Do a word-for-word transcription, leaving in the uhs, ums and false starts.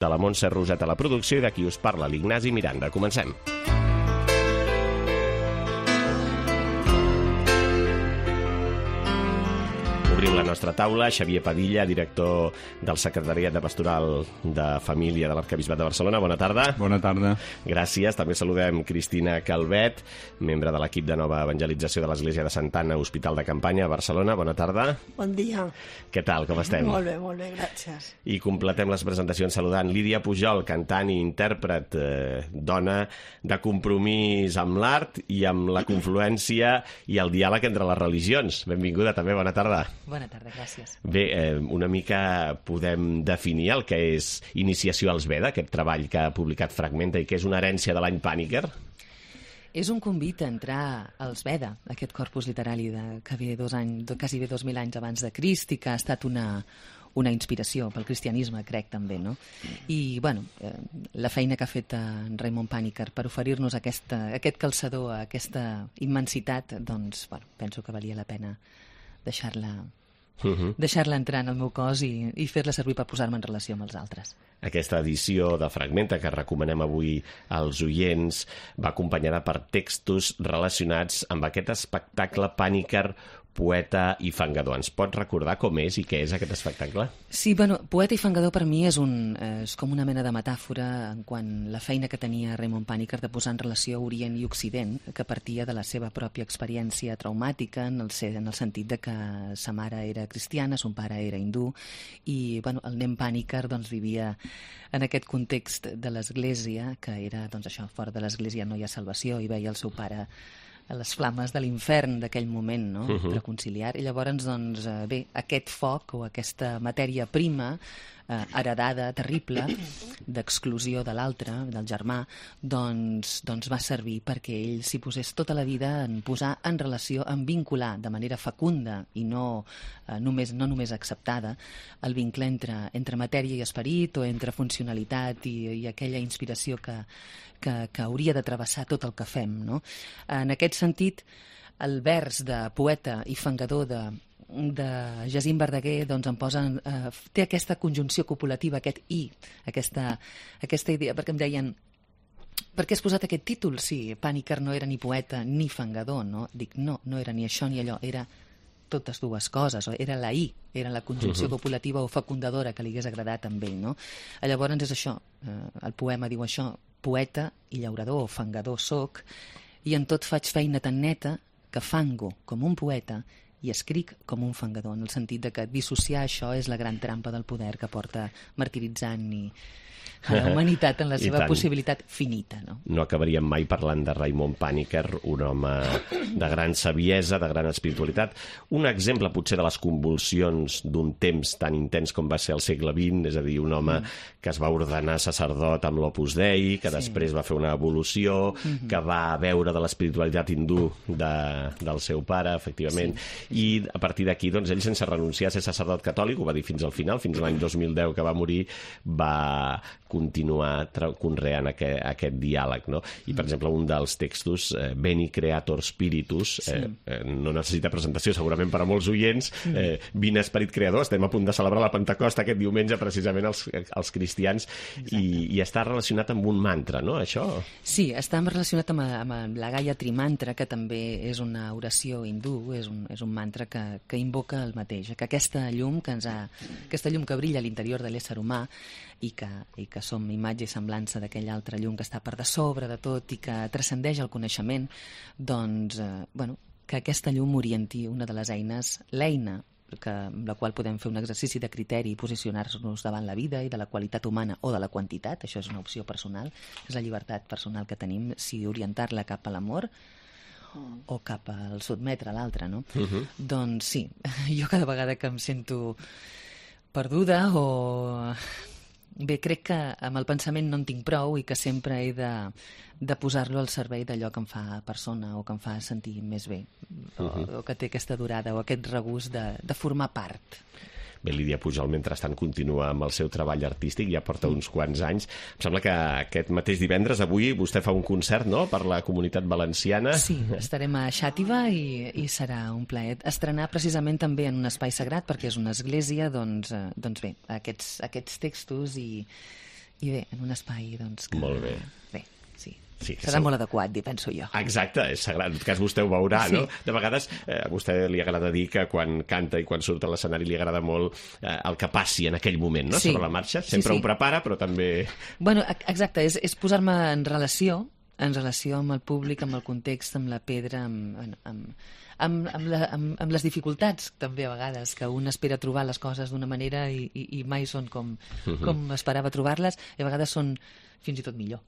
De la Montse Roset a la producció i d'aquí us parla l'Ignasi Miranda. Comencem. Obrim la nostra taula. Xavier Padilla, director del Secretariat de Pastoral de Família de l'Arquebisbat de Barcelona. Bona tarda. Bona tarda. Gràcies. També saludem Cristina Calvet, membre de l'equip de nova evangelització de l'Església de Santa Anna, Hospital de Campanya, a Barcelona. Bona tarda. Bon dia. Què tal, com estem? Molt bé, molt bé, gràcies. I completem les presentacions saludant Lídia Pujol, cantant i intèrpret, eh, dona de compromís amb l'art i amb la confluència i el diàleg entre les religions. Benvinguda també, bona tarda. Bona tarda, gràcies. Bé, eh, una mica podem definir el que és Iniciació als Veda, aquest treball que ha publicat Fragmenta i que és una herència de l'any Pàniker. És un convit a entrar als Veda, aquest corpus literari de, que ve dos anys, quasi bé dos mil anys abans de Crist i que ha estat una, una inspiració pel cristianisme, crec, també, no? I, bueno, eh, la feina que ha fet en Raymond Pàniker per oferir-nos aquesta, aquest calçador, aquesta immensitat, doncs, bueno, penso que valia la pena deixar-la Uh-huh. deixar-la entrar en el meu cos i, i fer-la servir per posar-me en relació amb els altres. Aquesta edició de Fragmenta que recomanem avui als oients va acompanyada per textos relacionats amb aquest espectacle Pàniker, poeta i fangador. Ens pot recordar com és i què és aquest espectacle? Sí, bueno, poeta i fangador per mi és, un, és com una mena de metàfora en quant la feina que tenia Raymond Pàniker de posar en relació Orient i Occident, que partia de la seva pròpia experiència traumàtica en el, en el sentit de que sa mare era cristiana, son pare era hindú i bueno, el nen Pàniker doncs, vivia en aquest context de l'Església, que era doncs, això, fora de l'Església no hi ha salvació, i veia el seu pare a les flames de l'infern d'aquell moment, no? Uh-huh. Reconciliar. I llavors, doncs, bé, aquest foc o aquesta matèria prima eh, heredada, terrible, d'exclusió de l'altre, del germà, doncs, doncs va servir perquè ell s'hi posés tota la vida en posar en relació, en vincular de manera fecunda i no, eh, només, no només acceptada el vincle entre, entre matèria i esperit o entre funcionalitat i, i aquella inspiració que, que, que hauria de travessar tot el que fem, no? En aquest sentit, el vers de poeta i fangador de, de Jacint Verdaguer doncs em posa, eh, té aquesta conjunció copulativa, aquest i, aquesta, aquesta idea, perquè em deien per què has posat aquest títol? Sí, Pàniker no era ni poeta ni fangador, no? Dic, no, no era ni això ni allò, era totes dues coses, era la i, era la conjunció uh-huh. copulativa o fecundadora que li hagués agradat amb ell, no? Llavors és això, eh, el poema diu això, poeta i llaurador o fangador soc, i en tot faig feina tan neta que fango com un poeta i escric com un fangador, en el sentit de que dissociar això és la gran trampa del poder que porta martiritzant i a la humanitat en la seva possibilitat finita, no? No acabaríem mai parlant de Raymond Pàniker, un home de gran saviesa, de gran espiritualitat. Un exemple, potser, de les convulsions d'un temps tan intens com va ser el segle vint, és a dir, un home mm. que es va ordenar sacerdot amb l'Opus Dei, que sí. després va fer una evolució, mm-hmm. que va veure de l'espiritualitat hindú de, del seu pare, efectivament, sí. i a partir d'aquí, doncs, ell, sense renunciar a ser sacerdot catòlic, ho va dir fins al final, fins l'any dos mil deu que va morir, va continuar conreant aquest, aquest diàleg, no? I, per exemple, un dels textos, eh, Veni Creator Spiritus, eh, sí. eh, no necessita presentació segurament per a molts oients, eh, Vine Esperit Creador, estem a punt de celebrar la Pentecosta aquest diumenge precisament els, els cristians, i, i està relacionat amb un mantra, no, això? Sí, està relacionat amb, amb la Gayatri Mantra, que també és una oració hindú, és un, és un mantra que, que invoca el mateix, que aquesta llum que ens ha, aquesta llum que brilla a l'interior de l'ésser humà i que, i que som imatge i semblança d'aquella altra llum que està per de sobre de tot i que transcendeix el coneixement, doncs, eh, bueno, que aquesta llum orienti una de les eines, l'eina que, amb la qual podem fer un exercici de criteri i posicionar-nos davant la vida i de la qualitat humana o de la quantitat, això és una opció personal, és la llibertat personal que tenim, si orientar-la cap a l'amor o cap al sotmetre l'altre, no? Uh-huh. Doncs sí, jo cada vegada que em sento perduda o... Bé, crec que amb el pensament no en tinc prou i que sempre he de, de posar-lo al servei d'allò que em fa persona o que em fa sentir més bé, o, uh-huh. o que té aquesta durada o aquest regust de, de formar part. Bé, Lídia Pujol, mentrestant, continua amb el seu treball artístic, ja porta uns quants anys. Em sembla que aquest mateix divendres, avui, vostè fa un concert, no?, per la Comunitat Valenciana. Sí, estarem a Xàtiva i, i serà un plaer estrenar precisament també en un espai sagrat, perquè és una església, doncs, eh, doncs bé, aquests, aquests textos i, I bé, en un espai, doncs... Que... Molt bé. Bé, sí. Sí, serà segur. Molt adequat, penso jo. Exacte, és sagrat. En tot cas, vostè ho veurà, sí. no? De vegades, eh, a vostè li agrada dir que quan canta i quan surt a l'escenari li agrada molt eh, el que passi en aquell moment, no? Sí. Sobre la marxa. Sempre sí, sí. ho prepara, però també... Bueno, exacte, és, és posar-me en relació, en relació amb el públic, amb el context, amb la pedra, amb... amb Amb, amb, la, amb, amb les dificultats, també, a vegades, que un espera trobar les coses d'una manera i, i, i mai són com, uh-huh. com esperava trobar-les, i a vegades són fins i tot millor.